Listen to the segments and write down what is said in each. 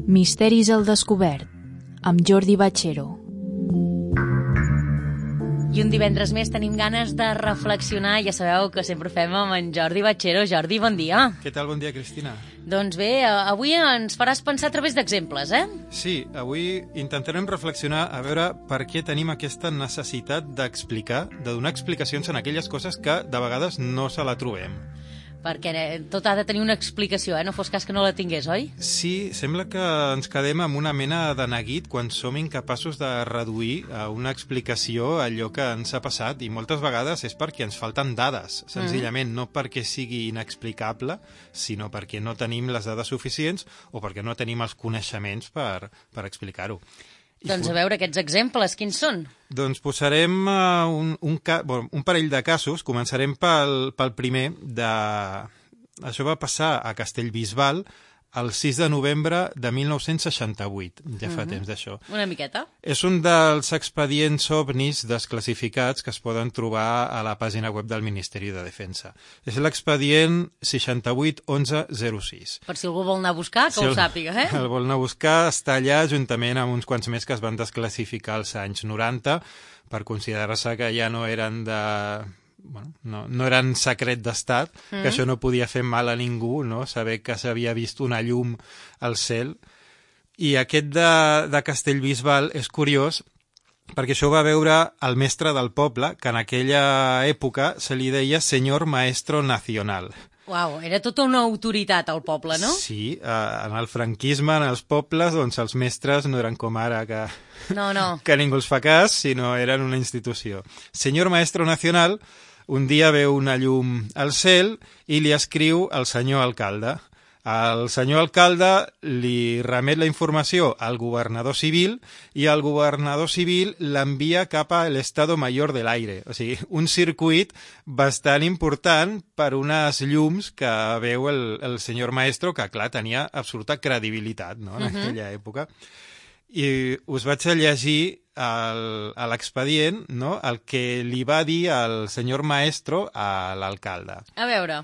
Misteris al descobert, amb Jordi Bachero. I un divendres més tenim ganes de reflexionar. Ja sabeu que sempre fem amb en Jordi Bachero. Jordi, bon dia. Què tal? Bon dia, Cristina. Doncs bé, avui ens faràs pensar a través d'exemples, eh? Sí, avui intentarem reflexionar a veure per què tenim aquesta necessitat d'explicar, de donar explicacions en aquelles coses que de vegades no se la trobem. Perquè tot ha de tenir una explicació, no fos cas que no la tingués, oi? Sí, sembla que ens quedem amb una mena de neguit quan som incapaços de reduir a una explicació allò que ens ha passat, i moltes vegades és perquè ens falten dades, senzillament, no perquè sigui inexplicable, sinó perquè no tenim les dades suficients o perquè no tenim els coneixements per explicar-ho. Doncs a veure, aquests exemples, quins són? Doncs posarem un parell de casos. Començarem pel primer. Això va passar a Castellbisbal el 6 de novembre de 1968. Ja fa temps d'això. Una miqueta. És un dels expedients ovnis desclassificats que es poden trobar a la pàgina web del Ministeri de Defensa. És l'expedient 681106. Per si algú vol anar a buscar, que ho sàpiga, eh? El vol anar a buscar, està allà juntament amb uns quants més que es van desclassificar als anys 90 per considerar-se que ja no eren no eren secret d'estat, que això no podia fer mal a ningú, no? Saber que s'havia vist una llum al cel. I aquest de Castellbisbal és curiós perquè això ho va veure el mestre del poble, que en aquella època se li deia senyor maestro nacional. Uau, era tota una autoritat al poble, no? Sí, en el franquisme, en els pobles, doncs els mestres no eren com ara, que ningú els fa cas, sinó eren una institució. Senyor maestro nacional un dia veu una llum al cel i li escriu al senyor alcalde. El senyor alcalde li remet la informació al governador civil i el governador civil l'envia cap a l'Estado Mayor del Aire. O sigui, un circuit bastant important per unes llums que veu el senyor maestro, que clar, tenia absoluta credibilitat, no?, en aquella època. I us vaig a llegir a l'expedient, no?, el que li va dir el senyor maestro a l'alcalde. A veure.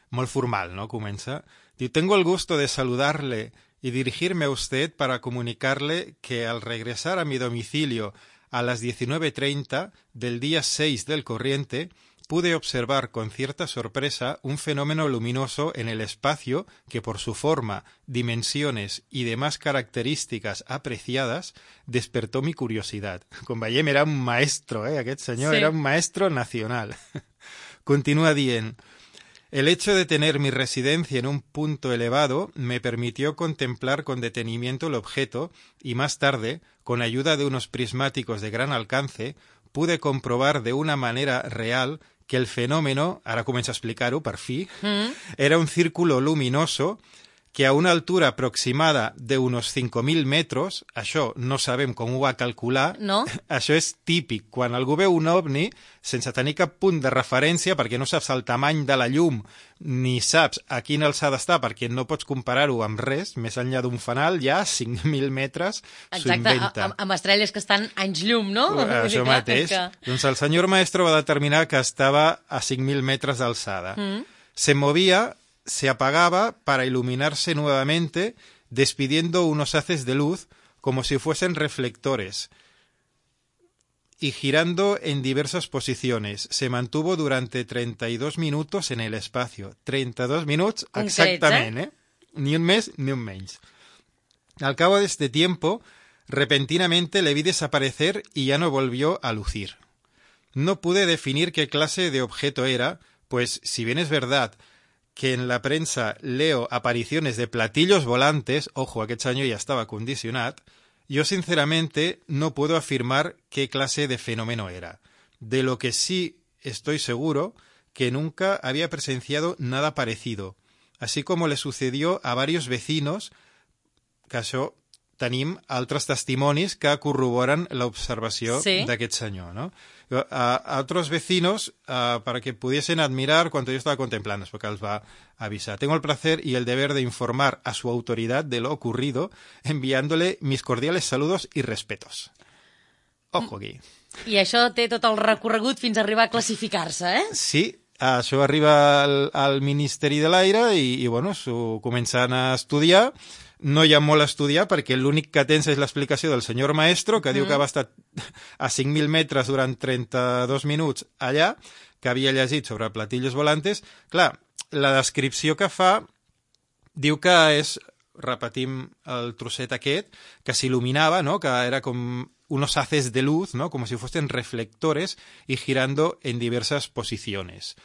Molt formal, ¿no? Comença. Diu, tengo el gusto de saludarle y dirigirme a usted para comunicarle que al regresar a mi domicilio a las 19:30 del día 6 del corriente, pude observar con cierta sorpresa un fenómeno luminoso en el espacio que por su forma, dimensiones y demás características apreciadas despertó mi curiosidad. Com veiem, era un maestro, aquest senyor, sí. Era un maestro nacional. Continúa dient, el hecho de tener mi residencia en un punto elevado me permitió contemplar con detenimiento el objeto y más tarde, con ayuda de unos prismáticos de gran alcance, pude comprobar de una manera real que el fenómeno, ara comença a explicar-ho, per fi, era un círculo luminoso que a una altura aproximada de unos 5.000 metros, això no sabem com ho va calcular, no? Això és típic. Quan algú veu un ovni, sense tenir cap punt de referència, perquè no saps el tamany de la llum, ni saps a quina alçada està, perquè no pots comparar-ho amb res, més enllà d'un fanal, ja 5.000 metres s'ho inventa. Exacte, amb estrelles que estan anys llum, no? Això mateix. Doncs el senyor maestro va determinar que estava a 5.000 metres d'alçada. Se movia, se apagaba para iluminarse nuevamente, despidiendo unos haces de luz como si fuesen reflectores y girando en diversas posiciones. Se mantuvo durante 32 minutos en el espacio. 32 minutos exactamente, Ni un mes ni un menys. Al cabo de este tiempo, repentinamente le vi desaparecer y ya no volvió a lucir. No pude definir qué clase de objeto era, pues si bien es verdad que en la prensa leo apariciones de platillos volantes, ojo, aquest senyor ja estava condicionat, yo sinceramente no puedo afirmar qué clase de fenómeno era. De lo que sí estoy seguro, que nunca había presenciado nada parecido, así como le sucedió a varios vecinos, que això tenim altres testimonis que corroboren l'observació d'aquest senyor, ¿no? A otros vecinos, para que pudiesen admirar cuanto yo estaba contemplando, es porque els va avisar. Tengo el placer y el deber de informar a su autoridad de lo ocurrido, enviándole mis cordiales saludos y respetos. Ojo aquí. I això té tot el recorregut fins a arribar a classificar-se, eh? Sí, això arriba al Ministeri de l'Aire i bueno, s'ho comencen a estudiar. No hi ha molt a estudiar perquè l'únic que tens és l'explicació del senyor maestro, que diu que va estar a 5.000 metres durant 32 minuts allà, que havia llegit sobre platillos volantes. Clar, la descripció que fa diu que és, repetim el trosset aquest, que s'il·luminava, ¿no? Que era com unos haces de luz, ¿no? Como si fuesen reflectores y girando en diversas posiciones.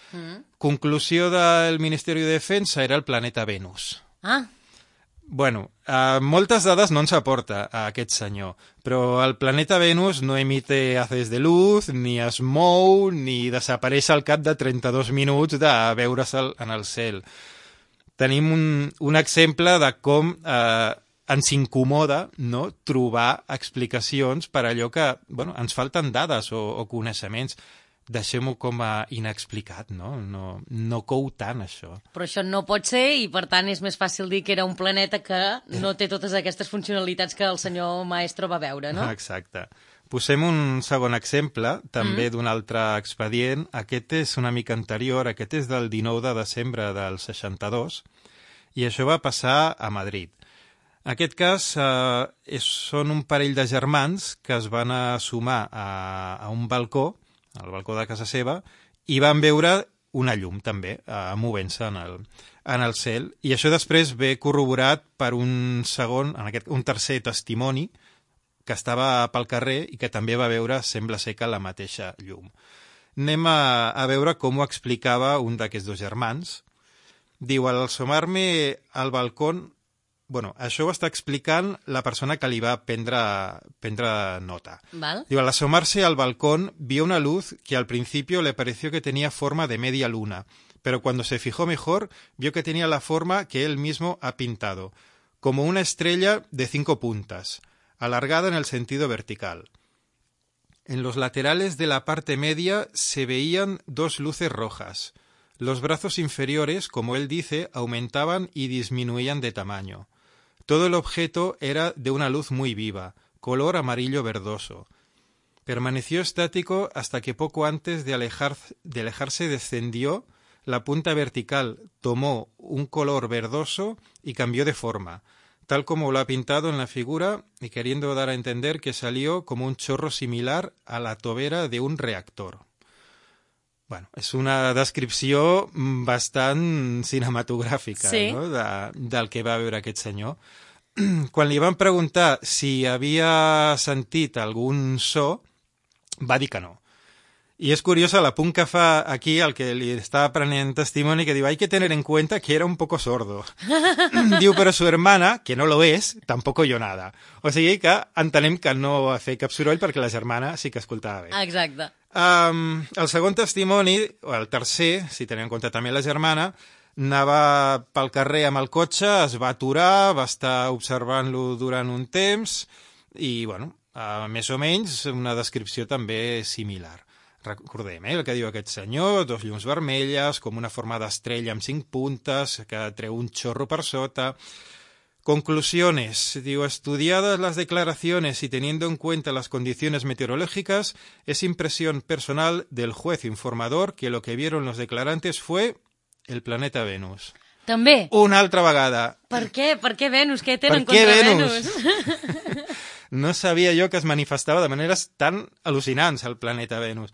Conclusió del Ministeri de Defensa era el planeta Venus. Ah. Bueno, moltes dades no ens aporta a aquest senyor, però el planeta Venus no emite haces de luz, ni es mou, ni desapareix al cap de 32 minuts de veure's en el cel. Tenim un exemple de com ens incomoda, no?, trobar explicacions per allò que, bueno, ens falten dades o coneixements. Deixem-ho com a inexplicat, no? No cou tant, això. Però això no pot ser i, per tant, és més fàcil dir que era un planeta que no té totes aquestes funcionalitats que el senyor maestro va veure, no? Exacte. Posem un segon exemple, també d'un altre expedient. Aquest és una mica anterior, aquest és del 19 de desembre del 62, i això va passar a Madrid. En aquest cas, són un parell de germans que es van sumar a un balcó, al balcó de casa seva, i van veure una llum, també, movent-se en el cel. I això després ve corroborat per un tercer testimoni que estava pel carrer i que també va veure, sembla ser que la mateixa llum. Anem a veure com ho explicava un d'aquests dos germans. Diu, al asomar-me al balcón... Bueno, això ho està explicant la persona que li va prendre nota. ¿Val? Digo, al asomarse al balcón vio una luz que al principio le pareció que tenía forma de media luna, pero cuando se fijó mejor vio que tenía la forma que él mismo ha pintado, como una estrella de 5 puntas, alargada en el sentido vertical. En los laterales de la parte media se veían 2 luces rojas. Los brazos inferiores, como él dice, aumentaban y disminuían de tamaño. Todo el objeto era de una luz muy viva, color amarillo verdoso. Permaneció estático hasta que poco antes de alejarse descendió, la punta vertical tomó un color verdoso y cambió de forma, tal como lo ha pintado en la figura y queriendo dar a entender que salió como un chorro similar a la tobera de un reactor. Bueno, és una descripció bastant cinematogràfica, sí, no?, del que va veure aquest senyor. Quan li van preguntar si havia sentit algun so, va dir que no. I és curiosa l'apunt que fa aquí el que li està prenent testimoni, que diu, hay que tener en cuenta que era un poco sordo. Diu, però su hermana, que no lo es, tampoco oyó nada. O sigui que entenem que no va fer cap soroll perquè la germana sí que escoltava bé. Exacte. El segon testimoni, o el tercer, si tenim en compte també la germana, anava pel carrer amb el cotxe, es va aturar, va estar observant-lo durant un temps i, bueno, més o menys una descripció també similar. Recordem, el que diu aquest senyor, 2 llums vermelles, com una forma d'estrella amb 5 puntes, que treu un chorro per sota. Conclusiones. Digo, estudiadas las declaraciones y teniendo en cuenta las condiciones meteorológicas, es impresión personal del juez informador que lo que vieron los declarantes fue el planeta Venus. També? Una altra vegada. Per què? Per què Venus? Què tenen contra Venus? No sabia jo que es manifestava de maneres tan al·lucinants el planeta Venus.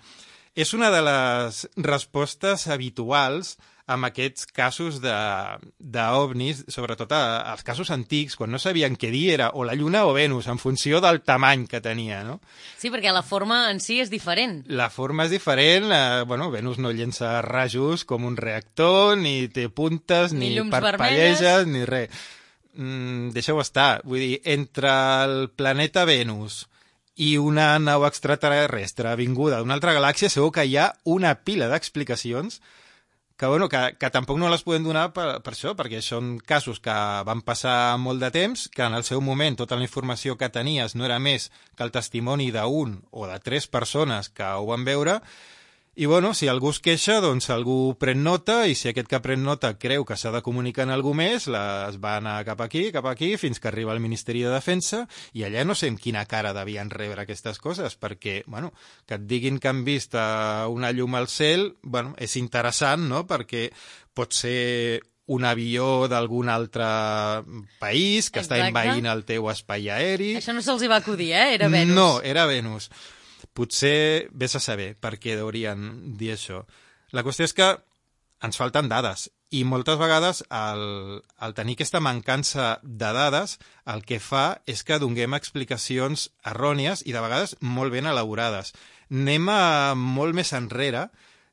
És una de les respostes habituals en aquests casos d'ovnis, sobretot als casos antics, quan no sabien què dir era o la Lluna o Venus, en funció del tamany que tenia, no? Sí, perquè la forma en si és diferent. La forma és diferent, Venus no llença rajos com un reactor, ni té puntes, ni parpelleges, ni res. Deixeu estar, vull dir, entre el planeta Venus i una nau extraterrestre vinguda d'una altra galàxia segur que hi ha una pila d'explicacions que tampoc no les podem donar per això, perquè són casos que van passar molt de temps, que en el seu moment tota la informació que tenies no era més que el testimoni d'un o de 3 persones que ho van veure, i bueno, si algú es queixa, doncs algú pren nota, i si aquest que pren nota creu que s'ha de comunicar en algú més, es va anar cap aquí, fins que arriba al Ministeri de Defensa, i allà no sé amb quina cara devien rebre aquestes coses, perquè, bueno, que et diguin que han vist una llum al cel, bueno, és interessant, no?, perquè pot ser un avió d'algun altre país que està envaint el teu espai aeri. Això no se'ls va acudir, Era Venus. No, era Venus. Potser vés a saber per què haurien dir això. La qüestió és que ens falten dades, i moltes vegades el tenir aquesta mancança de dades el que fa és que donem explicacions errònies i de vegades molt ben elaborades. Anem molt més enrere,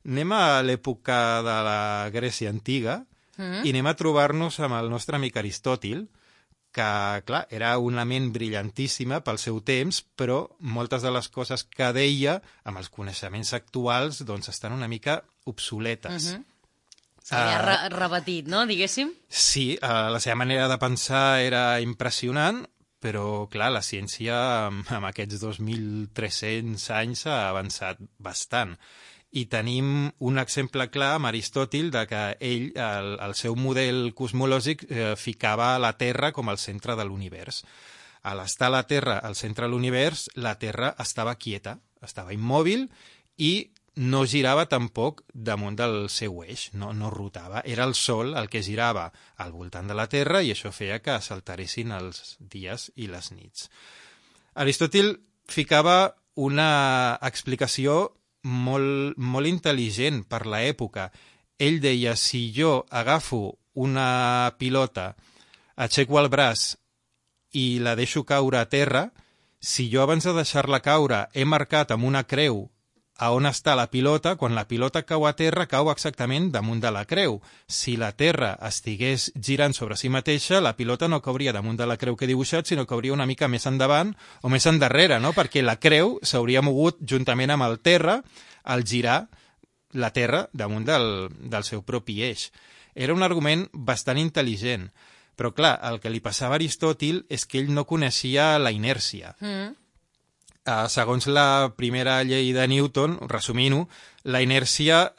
anem a l'època de la Grècia antiga i anem a trobar-nos amb el nostre amic Aristòtil, que, clar, era una ment brillantíssima pel seu temps, però moltes de les coses que deia, amb els coneixements actuals, doncs estan una mica obsoletes. S'havia repetit, no?, diguéssim? Sí, la seva manera de pensar era impressionant, però, clar, la ciència amb aquests 2.300 anys ha avançat bastant. I tenim un exemple clar amb Aristòtil de que ell, el seu model cosmològic, ficava la Terra com el centre de l'univers. A l'estar la Terra al centre de l'univers, la Terra estava quieta, estava immòbil i no girava tampoc damunt del seu eix, no rotava. Era el Sol el que girava al voltant de la Terra i això feia que s'alteressin els dies i les nits. Aristòtil ficava una explicació molt intel·ligent per l'època. Ell deia, si jo agafo una pilota, aixeco el braç i la deixo caure a terra, si jo abans de deixar-la caure he marcat amb una creu a on està la pilota, quan la pilota cau a terra, cau exactament damunt de la creu. Si la Terra estigués girant sobre si mateixa, la pilota no cauria damunt de la creu que he dibuixat, sinó que cauria una mica més endavant o més endarrere, no?, perquè la creu s'hauria mogut juntament amb el terra al girar la Terra damunt del seu propi eix. Era un argument bastant intel·ligent, però clar, el que li passava a Aristòtil és que ell no coneixia la inèrcia. Segons la primera llei de Newton, resumint-ho, la inèrcia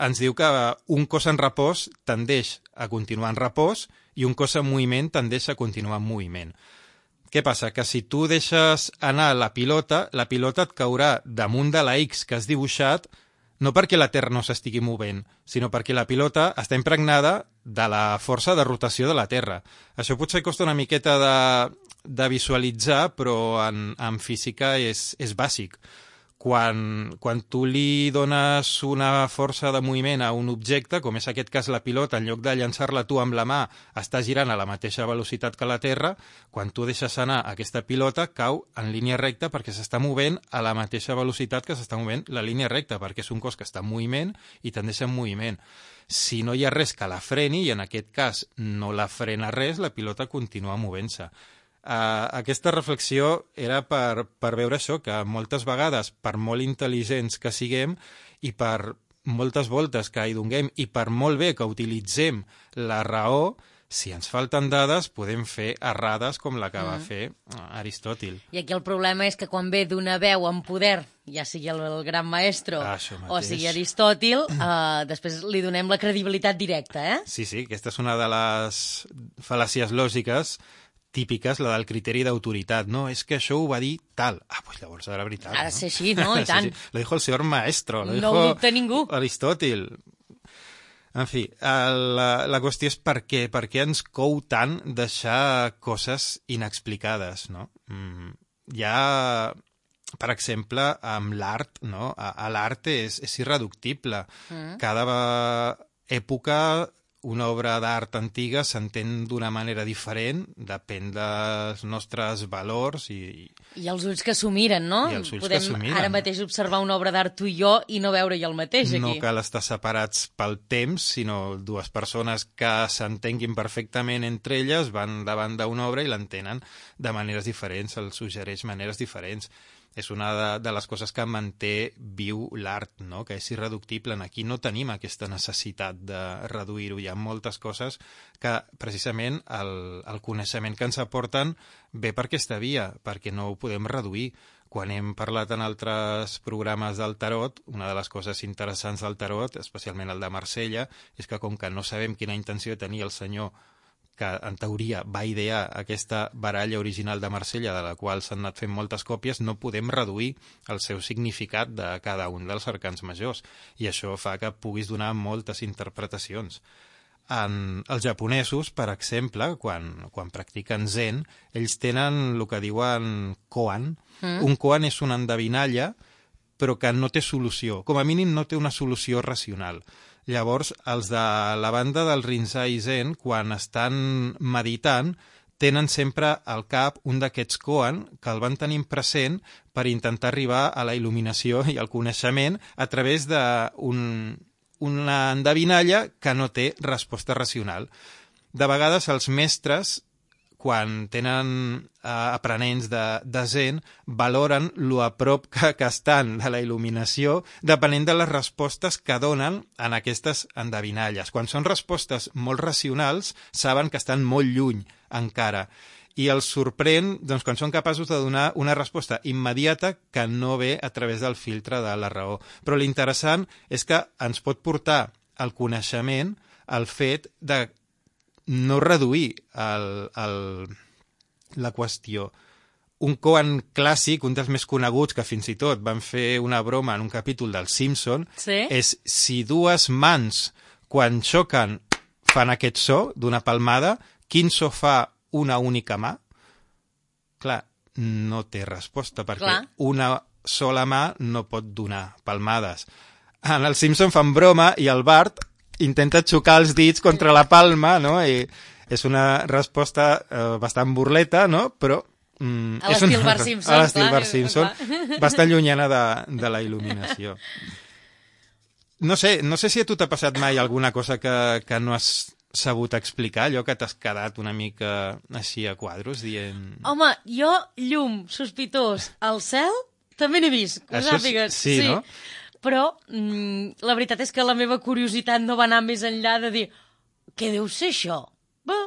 ens diu que un cos en repòs tendeix a continuar en repòs i un cos en moviment tendeix a continuar en moviment. Què passa? Que si tu deixes anar la pilota et caurà damunt de la X que has dibuixat, no perquè la Terra no s'estigui movent, sinó perquè la pilota està impregnada de la força de rotació de la Terra. Això potser costa una miqueta de visualitzar, però en física és bàsic. Quan tu li dones una força de moviment a un objecte, com és aquest cas la pilota, en lloc de llançar-la tu amb la mà, està girant a la mateixa velocitat que la Terra, quan tu deixes anar aquesta pilota, cau en línia recta perquè s'està movent a la mateixa velocitat que s'està movent la línia recta, perquè és un cos que està en moviment i tendeix en moviment. Si no hi ha res que la freni, i en aquest cas no la frena res, la pilota continua movent-se. Aquesta reflexió era per veure això, que moltes vegades, per molt intel·ligents que siguem i per moltes voltes que hi donem i per molt bé que utilitzem la raó, si ens falten dades podem fer errades com la que va fer Aristòtil. I aquí el problema és que quan ve d'una veu amb poder, ja sigui el gran maestro o sigui Aristòtil, després li donem la credibilitat directa, Sí, aquesta és una de les fal·làcies lògiques típiques, la del criteri d'autoritat. No, és que això ho va dir tal. Doncs llavors era veritat. Ha de ser així, no? I tant. Lo dijo el señor maestro. No ho dubta ningú. Aristòtil. En fi, la qüestió és per què ens cou tant deixar coses inexplicades, no? Hi ha, per exemple, amb l'art, no? L'art és irreductible. Cada època una obra d'art antiga s'entén d'una manera diferent, depèn dels nostres valors i els ulls que s'ho miren, no? I els ulls que s'ho miren. Ara mateix observar una obra d'art tu i jo i no veure-hi el mateix aquí. No cal estar separats pel temps, sinó dues persones que s'entenguin perfectament entre elles van davant d'una obra i l'entenen de maneres diferents, els suggereix maneres diferents. és una de les coses que manté viu l'art, no? Que és irreductible. Aquí no tenim aquesta necessitat de reduir-ho. Hi ha moltes coses que precisament el coneixement que ens aporten ve per aquesta via, perquè no ho podem reduir. Quan hem parlat en altres programes del tarot, una de les coses interessants del tarot, especialment el de Marsella, és que com que no sabem quina intenció tenia el senyor que en teoria va idear aquesta baralla original de Marsella, de la qual s'han anat fent moltes còpies, no podem reduir el seu significat de cada un dels arcans majors. I això fa que puguis donar moltes interpretacions. Els japonesos, per exemple, quan practiquen zen, ells tenen el que diuen koan. Un koan és una endevinalla, però que no té solució. Com a mínim no té una solució racional. Llavors, els de la banda del Rinzai Zen, quan estan meditant, tenen sempre al cap un d'aquests koan que el van tenint present per intentar arribar a la il·luminació i al coneixement a través d'una endevinalla que no té resposta racional. De vegades els mestres, quan tenen aprenents de Zen, valoren lo a prop que estan de la il·luminació depenent de les respostes que donen en aquestes endevinalles. Quan són respostes molt racionals, saben que estan molt lluny encara. I els sorprèn doncs, quan són capaços de donar una resposta immediata que no ve a través del filtre de la raó. Però l'interessant és que ens pot portar al coneixement el fet de no reduir la qüestió. Un koan clàssic, un dels més coneguts, que fins i tot van fer una broma en un capítol del Simpson, és si dues mans, quan xoquen, fan aquest so d'una palmada, quin so fa una única mà? Clar, no té resposta, perquè una sola mà no pot donar palmades. En el Simpson fan broma i el Bart intenta xocar els dits contra la palma, no? I és una resposta bastant burleta, no? Però a l'estil Bart Simpson. A l'estil Bart Simpson, bastant llunyana de la il·luminació. No sé si a tu t'ha passat mai alguna cosa que no has sabut explicar, allò que t'has quedat una mica així a quadros dient... Home, jo, llum, sospitós, al cel, també n'he vist, que ho sàpigues. Sí, no? Però la veritat és que la meva curiositat no va anar més enllà de dir què deu ser això? No.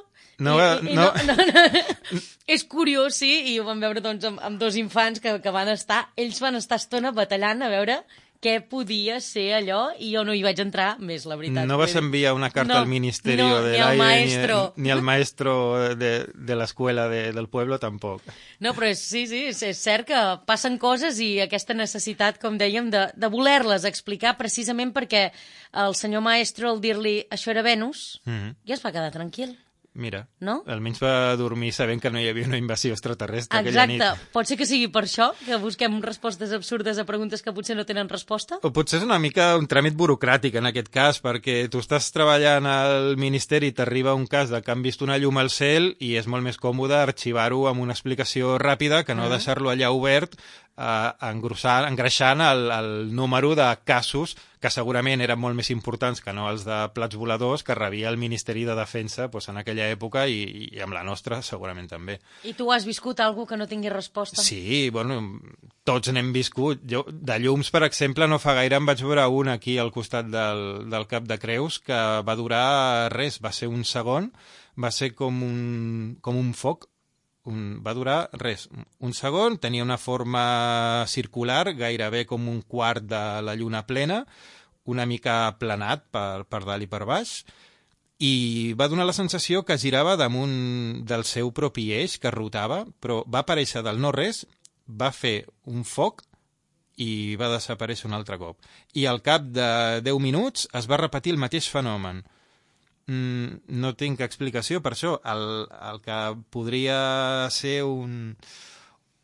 És curiós, sí, i ho vam veure doncs, amb dos infants que ells van estar estona batallant a veure què podia ser allò, i jo no hi vaig entrar més, la veritat. No vas enviar una carta al Ministerio del Aire, ni al maestro de l'escola del pueblo, tampoc. No, però sí, és cert que passen coses i aquesta necessitat, com dèiem, de voler-les explicar, precisament perquè el senyor maestro, al dir-li això era Venus, ja es va quedar tranquil. Mira, no? Almenys va dormir sabent que no hi havia una invasió extraterrestre aquella nit. Exacte, pot ser que sigui per això, que busquem respostes absurdes a preguntes que potser no tenen resposta? O potser és una mica un tràmit burocràtic en aquest cas, perquè tu estàs treballant al Ministeri i t'arriba un cas de que han vist una llum al cel i és molt més còmode arxivar-ho amb una explicació ràpida que no deixar-lo allà obert, engreixant el número de casos que segurament eren molt més importants que no els de plats voladors que rebia el Ministeri de Defensa en aquella època i amb la nostra segurament també. I tu has viscut alguna que no tingui resposta? Sí, bueno, tots n'hem viscut. Jo, de llums, per exemple, no fa gaire em vaig veure un aquí al costat del Cap de Creus que va durar res, va ser un segon, va ser com un foc. Va durar res, un segon, tenia una forma circular, gairebé com un quart de la lluna plena, una mica aplanat per dalt i per baix, i va donar la sensació que girava damunt del seu propi eix, que rotava, però va aparèixer del no-res, va fer un foc i va desaparèixer un altre cop. I al cap de 10 minuts es va repetir el mateix fenomen. No tinc explicació per això. El que podria ser un...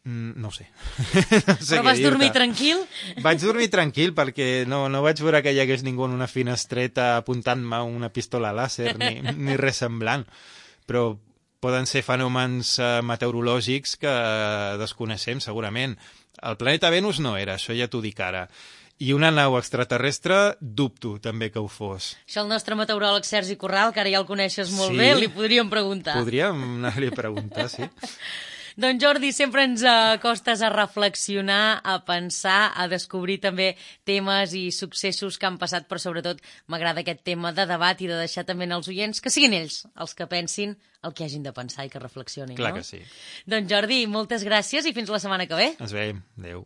no ho sé. Però vas dormir tranquil? Vaig dormir tranquil perquè no vaig veure que hi hagués ningú en una finestreta apuntant-me una pistola làser ni res semblant. Però poden ser fenòmens meteorològics que desconeixem segurament. El planeta Venus no era, això ja t'ho dic ara. I una nau extraterrestre, dubto també que ho fos. Això el nostre meteoròleg Sergi Corral, que ara ja el coneixes molt bé, li podríem preguntar. Podríem anar-li a preguntar, sí. Doncs Jordi, sempre ens acostes a reflexionar, a pensar, a descobrir també temes i successos que han passat, però sobretot m'agrada aquest tema de debat i de deixar també als oients que siguin ells els que pensin el que hagin de pensar i que reflexionin. Clar no? que sí. Doncs Jordi, moltes gràcies i fins la setmana que ve. Ens veiem. Adéu.